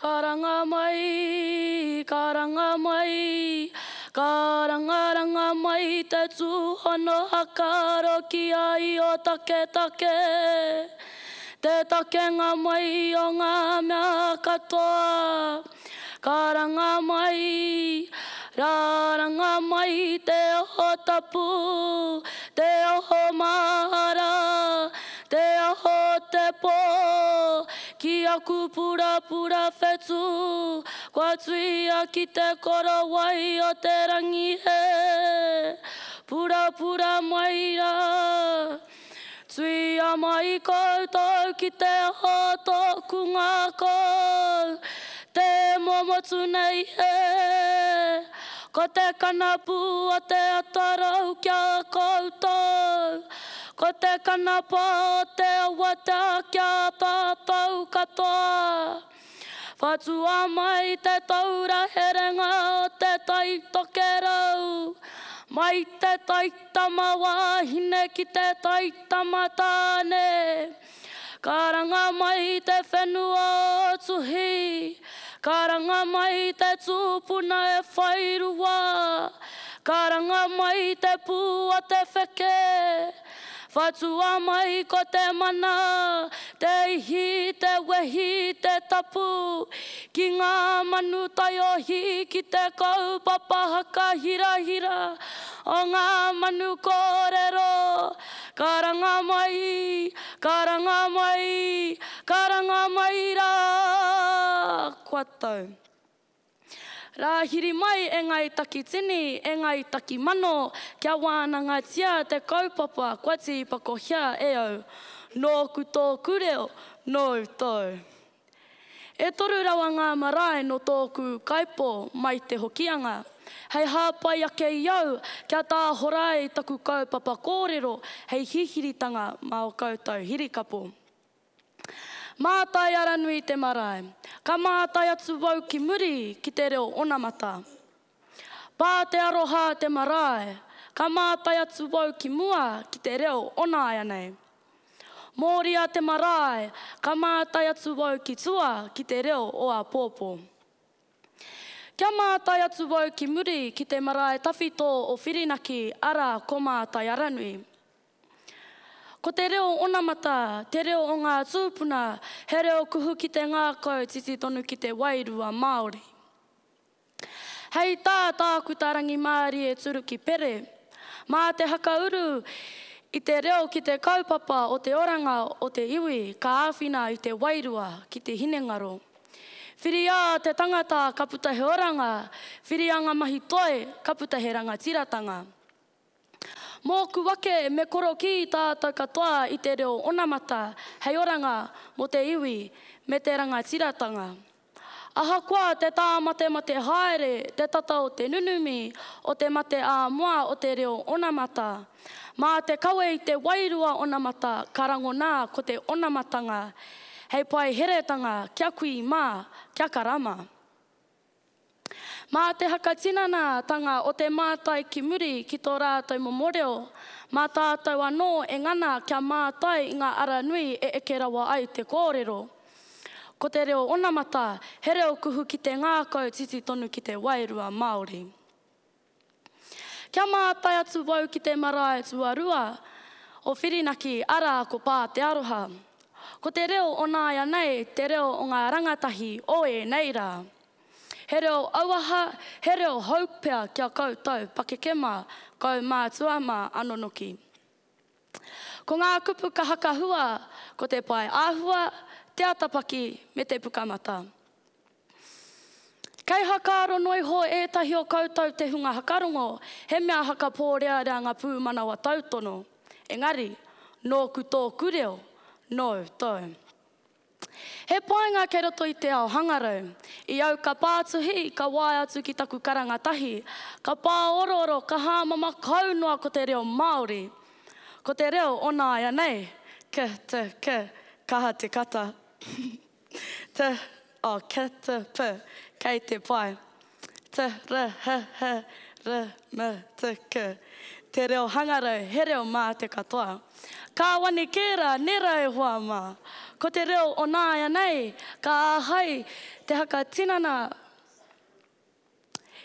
Karanga mai, karanga mai, karangaranga mai te tūhono hakaro ki a Io taketake, te takenga mai o ngā mea katoa. Karanga mai, raranga mai te oho tapu, te oho mahara, te aho o te pō, ki aku purapura whetū, kua tuia ki te korowai o te rangi he purapura mai rā. Tuia mai koutou ki te aho o tōku ngākau, tē momotu nei he. Ko te kanapu o te atarau ki a koutou, Ko te kanapa o te awatea ki a tātou katoa. Whatua mai te taura herenga o te Tai Tokerau, mai te taitama wāhine ki te taitama tāne. Karanga mai te whenua o Tuhi, karanga mai te tūpuna e whairua, karanga mai te pū o te wheke, whatua mai ko te mana, te ihi, te wehi, te tapu, ki ngā manu taiohi, ki te kaupapa haka hirahira o ngā manu kōrero. Karanga mai, karanga mai, karanga mai rā, kua tau. Rāhiri mai e Ngāi Takitini, e Ngāi Takimano, kia wānangatia te kaupapa kua tīpakohia e au. Nōku tōku reo, nōu tōu. E toru rawa ngā marae nō tōku ūkaipō mai te Hokianga, hei hāpai ake i au kia tāhora ai taku kaupapa kōrero hei hihiritanga mā o koutou hirikapo. Mātai Aranui te marae. Ka mātai atu au ki muri ki te reo onamata. Pā te aroha te marae. Ka mātai atu au ki mua ki te reo onāianei. Mōria te marae, ka mātai atu au ki tua ki te reo o āpōpō. Kia mātai atu au ki muri ki te marae tawhito o Whirinaki, arā, ko Mātai Aranui. Ko te reo onamata, te reo o ngā tūpuna, he reo kuhu ki te ngākau, titi tonu ki te wairua Māori. Hei tā Tākuta Rangimārie Turuki Pere, mā te hakauru i te reo ki te kaupapa o te oranga o te iwi ka āwhina i te wairua ki te hinengaro. Whiria te tangata ka puta he oranga, whiria ngā mahi toi ka puta he rangatiratanga. Mōku ake me korokī tātou katoa i te reo onamata hei oranga mō te iwi me te rangatiratanga. Ahakoa te tāmatemate haere te tata o te nunumi o te mate ā-moa o te reo onamata, mā te kawe i te wairua onamata ka rangona ko te onamatanga hei pae heretanga kia kui mā, kia kara mā. Mā te hakatinanatanga o te mātai ki muri ki tō rātou momo reo, mā tātou anō e ngana kia mātai i ngā ara nui e eke rawa ai te kōrero. Ko te reo onamata, he reo kuhu ki te ngākau titi tonu ki te wairua Māori. Kia mātai atu wau ki te marae tuarua o Whirinaki, arā, ko Pā Te Aroha. Ko te reo o nāianei te reo o ngā rangatahi o ēnei rā. He reo auaha, he reo hou pea ki a koutou pakeke mā, kaumātua mā anonoki. Ko ngā kupu ka hakahua ko te pae āhua, te atapaki me te pukamata. Kei hakaaro noa iho ētahi o koutou te hunga hakarongo, he mea hakapōrearea ngā pūmanawa tautono. Engari, nōku tōku reo, nōu tōu. He painga kei roto i te ao hangarau. I au ka pātuhi, ka waea atu ki taku karanga tahi, ka pāorooro, ka hāmama kau noa ko te reo Māori. Ko te reo o nāianei, k, t, k, kaha te kata. T, O, K, T, P, kei te pai. T, R, H, H, R, M, T, K. Te reo hangarau, he reo mā te katoa. Kāwani kē rā, nē rā e hoa mā. Ko te reo o nāianei ka āhei te hakatinana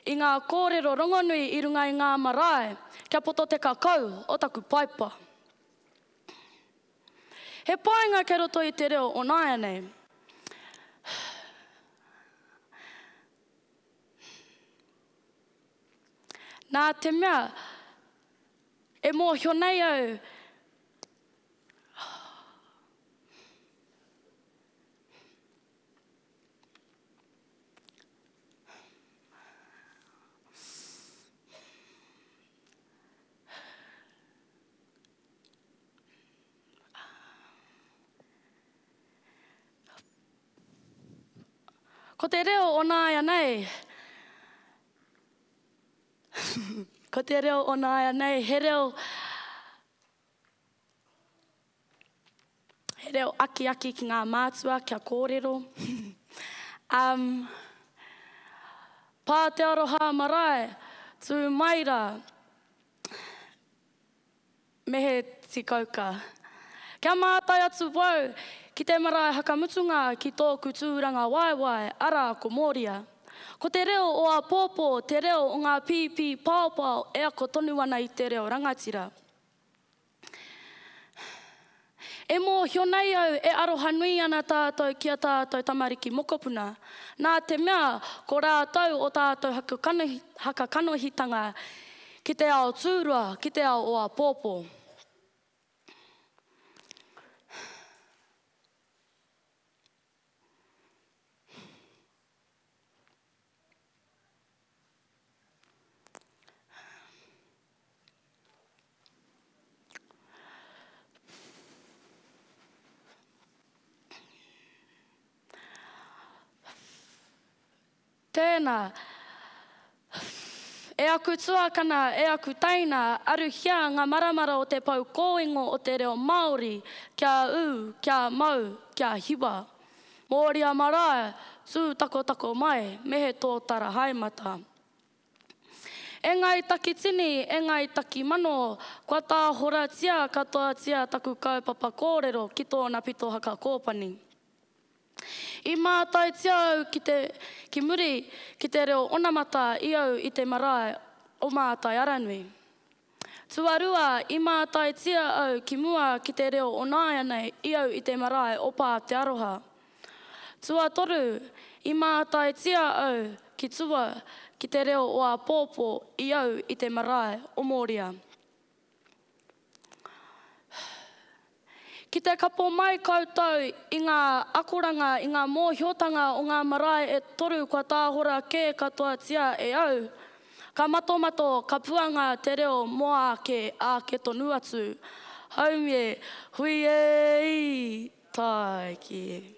i ngā kōrero rongonui i runga i ngā marae kia poto te kakau o taku paipa. He painga kei roto i te reo o nāianei. Nā te mea, e mōhio nei au, Ko te reo o nāianei, ko te reo o nāianei, he reo, he reo akiaki ki ngā mātua kia kōrero. Um, pā te aroha marae, tū mai rā. Me he tikauka. Kia mātai atu wau ki te marae hakamutunga ki tōku tūrangawaewae, arā ko Mōria. Ko te reo o āpōpō te reo o ngā pīpī paopao e ako tonu ana i te reo rangatira. E mōhio nei au e aroha nui ana tātou ki a tātou tamariki mokopuna, nā te mea ko rātou o tātou hakakanohitanga ki te ao tūroa, ki te ao o āpōpō. Tēnā, e aku tuakana, e aku teina, aruhia ngā maramara o te pou kōingo o te reo Māori, kia ū, kia mau, kia hiwa. Mōria marae, tū takotako mai, me he tōtara haemata. E Ngāi Takitini, e Ngāi Takimano, kua tāhoratia katoatia taku kaupapa kōrero ki tōna pito haka kōpani. I mātaitia au ki te, ki muri ki te reo onamata i au i te marae o Mātai Aranui. Tuarua, i mātaitia au ki mua ki te reo onāianei i au i te marae o Pā Te Aroha. Tuatoru, i mātaitia au ki tua ki te reo o āpōpō i au i te marae o Mōria. Ki te kapo mai koutou i ngā akoranga, i ngā mōhiotanga o ngā marae e toru kua tāhora kē katoatia e au, ka matomato, ka puanga te reo mō āke, āke tonu atu. Haumie, hui e-i, tāiki.